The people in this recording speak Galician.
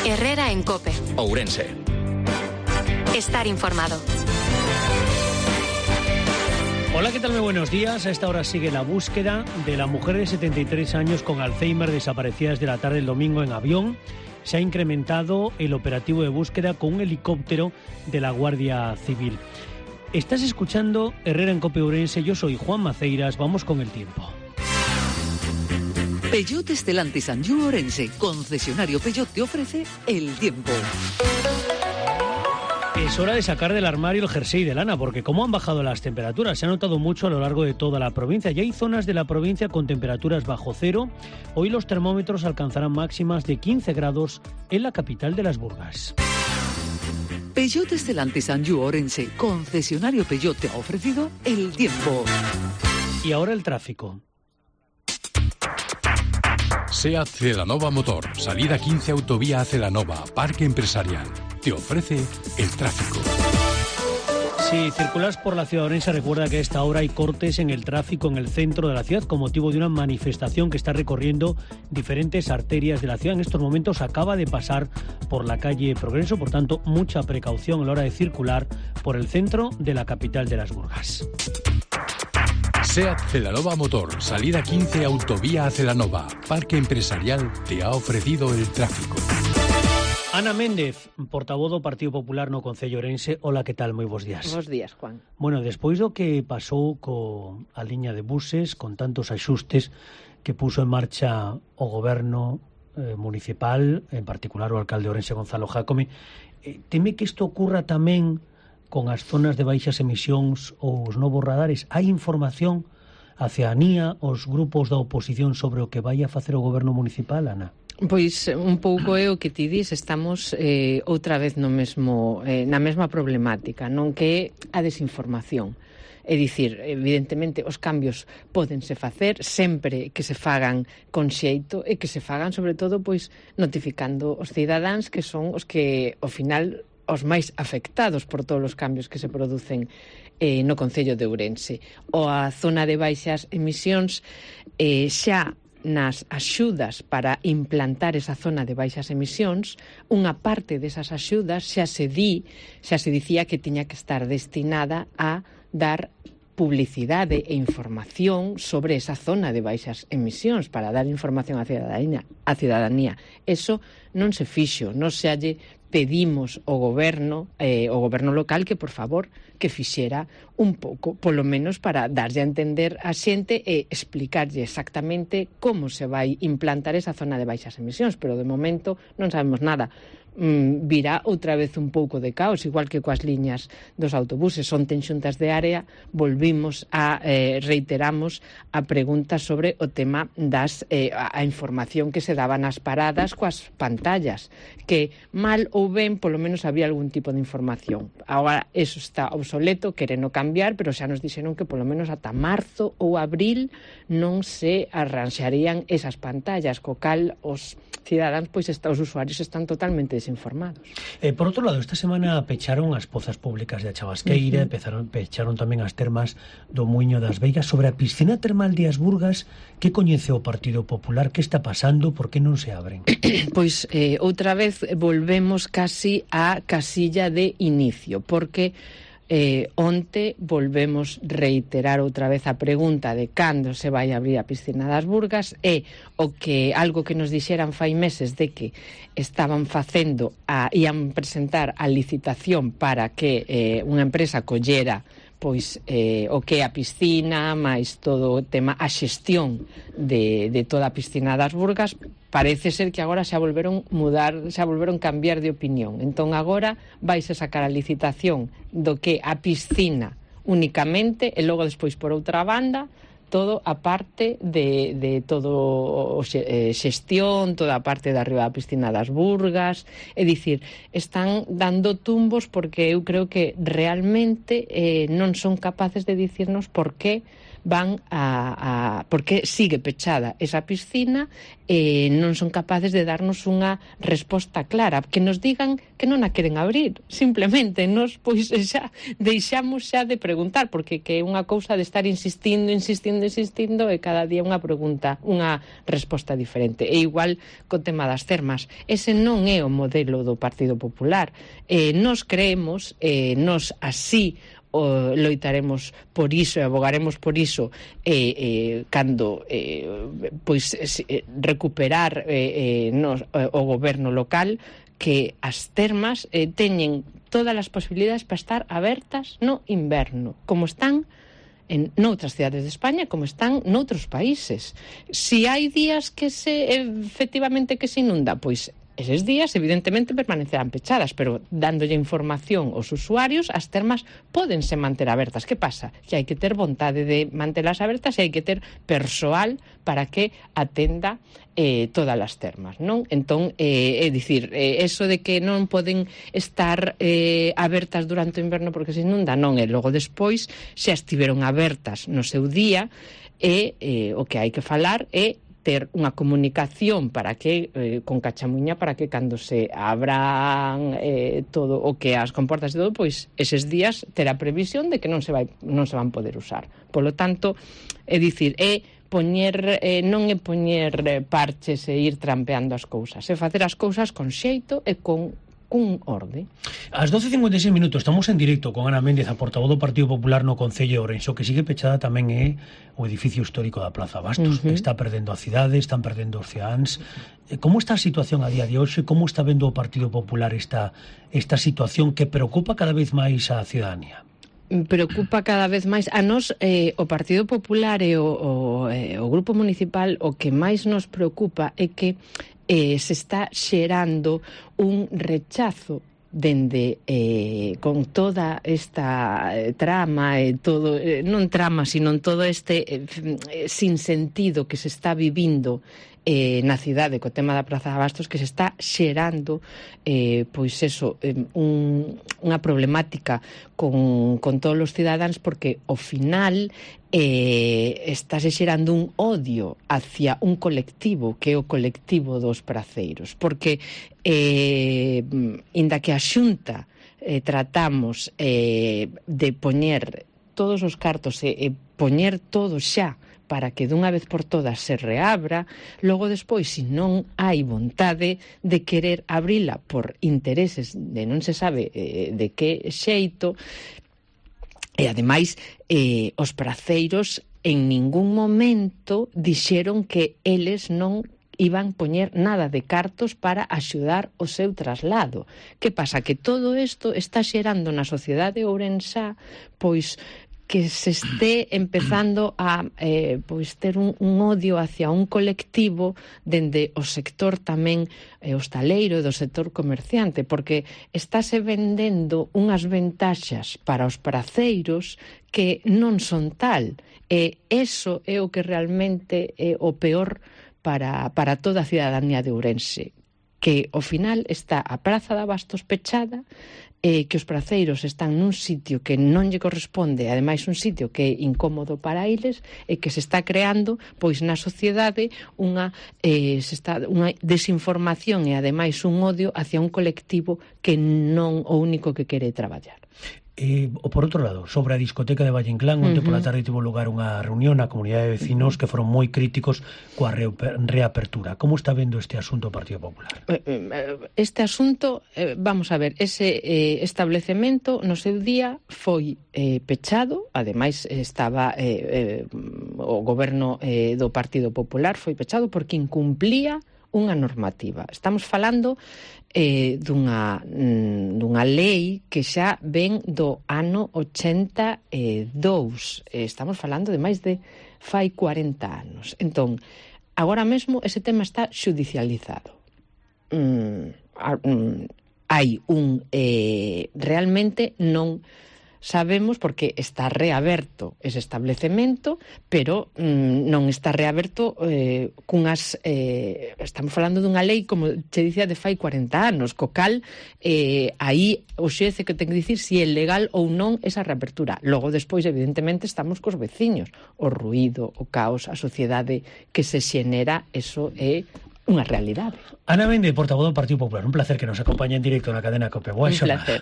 Herrera en COPE. Ourense. Estar informado. Hola, ¿qué tal? Muy buenos días. A esta hora sigue la búsqueda de la mujer de 73 años con Alzheimer desaparecida desde la tarde del domingo en avión. Se ha incrementado el operativo de búsqueda con un helicóptero de la Guardia Civil. Estás escuchando Herrera en COPE Ourense. Yo soy Juan Maceiras. Vamos con el tiempo. Peugeot Stellantis Anjou Ourense, concesionario Peugeot, te ofrece el tiempo. Es hora de sacar del armario el jersey de lana, porque como han bajado las temperaturas, se ha notado mucho a lo largo de toda la provincia. Ya hay zonas de la provincia con temperaturas bajo cero. Hoy los termómetros alcanzarán máximas de 15 grados en la capital de las Burgas. Peugeot Stellantis Anjou Ourense, concesionario Peugeot, te ha ofrecido el tiempo. Y ahora el tráfico. SEAT Celanova Motor, salida 15 Autovía a Celanova, Parque Empresarial. Te ofrece el tráfico. Si circulas por la ciudad orense, recuerda que a esta hora hay cortes en el tráfico en el centro de la ciudad con motivo de una manifestación que está recorriendo diferentes arterias de la ciudad. En estos momentos acaba de pasar por la calle Progreso, por tanto, mucha precaución a la hora de circular por el centro de la capital de las Burgas. SEAT Celanova Motor, salida 15 Autovía a Celanova, Parque Empresarial, te ha ofrecido el tráfico. Ana Méndez, portavoz do Partido Popular no Concello Ourense. Hola, que tal? Moi bons días. Bos días, Juan. Bueno, despois do que pasou a liña de buses, con tantos axustes que puso en marcha o goberno municipal, en particular o alcalde Ourense Gonzalo Jácome, teme que isto ocurra tamén con as zonas de baixas emisións ou os novos radares? Hai información a ciudadanía, os grupos da oposición sobre o que vai a facer o goberno municipal, Ana? Pois un pouco é o que ti dis, estamos outra vez no mesmo, na mesma problemática, non, que é a desinformación. É dicir, evidentemente, os cambios pódense facer sempre que se fagan con xeito e que se fagan, sobre todo, pois notificando os cidadáns que son os que, ao final, os máis afectados por todos os cambios que se producen no Concello de Ourense. O a zona de baixas emisións xa nas axudas para implantar esa zona de baixas emisións, unha parte desas axudas xa se dicía que tiña que estar destinada a dar publicidade e información sobre esa zona de baixas emisións, para dar información á cidadanía. Eso non se fixo, non se lle pedimos ao goberno local que, por favor, que fixera un pouco, polo menos para darlle a entender a xente e explicarlle exactamente como se vai implantar esa zona de baixas emisións, pero de momento non sabemos nada. Virá outra vez un pouco de caos, igual que coas liñas dos autobuses. Onte en xuntas de área volvimos a reiteramos a pregunta sobre o tema das a información que se daba nas paradas coas pantallas, que mal ou ben polo menos había algún tipo de información. Agora eso está obsoleto, quereno cambiar, pero xa nos dixeron que polo menos ata marzo ou abril non se arranxarían esas pantallas, co cal os cidadáns, pois os usuarios están totalmente desinformados. Por outro lado, esta semana pecharon as pozas públicas de A Chavasqueira, pecharon tamén as termas do Muiño das Veigas. Sobre a piscina termal de As Burgas, que coñece o Partido Popular? Que está pasando? Por que non se abren? Pois outra vez volvemos casi á casilla de inicio, porque onte volvemos reiterar outra vez a pregunta de cando se vai abrir a piscina das Burgas, e algo que nos dixeran fai meses de que estaban facendo ían presentar a licitación para que unha empresa collera pois o que é a piscina, máis todo o tema, a xestión de toda a piscina das Burgas. Parece ser que agora xa volveron cambiar de opinión. Entón agora vaise sacar a licitación do que a piscina únicamente, e logo despois por outra banda todo a parte de todo o xestión, toda a parte de arriba da piscina das Burgas. É dicir, están dando tumbos porque eu creo que realmente non son capaces de dicirnos por que van porque sigue pechada esa piscina e non son capaces de darnos unha resposta clara, que nos digan que non a queren abrir, simplemente nos pois xa deixamos xa de preguntar, porque que é unha cousa de estar insistindo e cada día unha pregunta, unha resposta diferente. E igual co tema das termas, ese non é o modelo do Partido Popular. Nos creemos, nos así loitaremos por iso e abogaremos por iso cando recuperar o goberno local, que as termas teñen todas as posibilidades para estar abertas no inverno, como están en noutras cidades de España, como están noutros países. Si hai días que efectivamente que se inunda, pois eses días, evidentemente, permanecerán pechadas, pero dándolle información aos usuarios, as termas pódense manter abertas. Que pasa? Que hai que ter vontade de mantelas abertas e hai que ter persoal para que atenda todas as termas, non? Entón, é dicir, eso de que non poden estar abertas durante o inverno porque se inunda, non, e logo despois xa estiveron abertas no seu día, e o que hai que falar é ter unha comunicación para que con cachamuña para que cando se abran todo o que as comportas e todo, pois eses días ter a previsión de que non se van poder usar. Polo tanto, é dicir, non é poñer parches e ir trampeando as cousas, é facer as cousas con xeito e con orde. Ás 12:56 minutos estamos en directo con Ana Méndez, a portavoz do Partido Popular no Concello de Ourense. O que sigue pechada tamén é o edificio histórico da Plaza Bastos. Está perdendo a cidade, están perdendo os ceáns. Como está a situación a día de hoxe? Como está vendo o Partido Popular esta situación que preocupa cada vez máis a ciudadanía? Preocupa cada vez máis a nós, o Partido Popular e o Grupo Municipal. O que máis nos preocupa é que se está xerando un rechazo dende con toda esta trama e todo, non trama, sino todo este sinsentido que se está vivindo na cidade co tema da Praza de Bastos, que se está xerando pois eso, unha problemática con todos os cidadáns, porque ao final estáse xerando un odio hacia un colectivo que é o colectivo dos praceiros, porque inda que a Xunta tratamos de poñer todos os cartos e poñer todo xa para que dunha vez por todas se reabra, logo despois, se non hai vontade de querer abrila por intereses de non se sabe de que xeito, e ademais os praceiros en ningún momento dixeron que eles non iban poñer nada de cartos para axudar o seu traslado. Que pasa? Que todo isto está xerando na sociedade ourensá, pois, que se este empezando a pois ter un odio hacia un colectivo dende o sector tamén hostaleiro e do sector comerciante, porque estáse vendendo unhas ventaxas para os praceiros que non son tal, e eso é o que realmente é o peor para toda a cidadanía de Ourense, que ao final está a Praza de Bastos pechada, que os praceiros están nun sitio que non lle corresponde, ademais un sitio que é incómodo para eles, e que se está creando pois na sociedade unha desinformación e ademais un odio hacia un colectivo que non o único que quere traballar. Por outro lado, sobre a discoteca de Valle Inclán, onde pola tarde tivo lugar unha reunión na comunidade de vecinos que foron moi críticos coa reapertura. Como está vendo este asunto o Partido Popular? Este asunto, vamos a ver, ese establecemento no seu día foi pechado, ademais estaba o goberno do Partido Popular foi pechado porque incumplía unha normativa. Estamos falando dunha lei que xa ven do ano 82. Estamos falando de máis de fai 40 anos. Entón, agora mesmo ese tema está xudicializado. Hai realmente non sabemos porque está reaberto ese establecemento, pero non está reaberto cunhas... estamos falando dunha lei, como che dicía, de fai 40 anos, co cal aí o xece que ten que dicir se é legal ou non esa reapertura. Logo, despois, evidentemente, estamos cos veciños. O ruído, o caos, a sociedade que se xenera, eso é unha realidade. Ana Méndez, portavoz do Partido Popular, un placer que nos acompañe en directo na cadena COPE. Boa xornada. Un placer.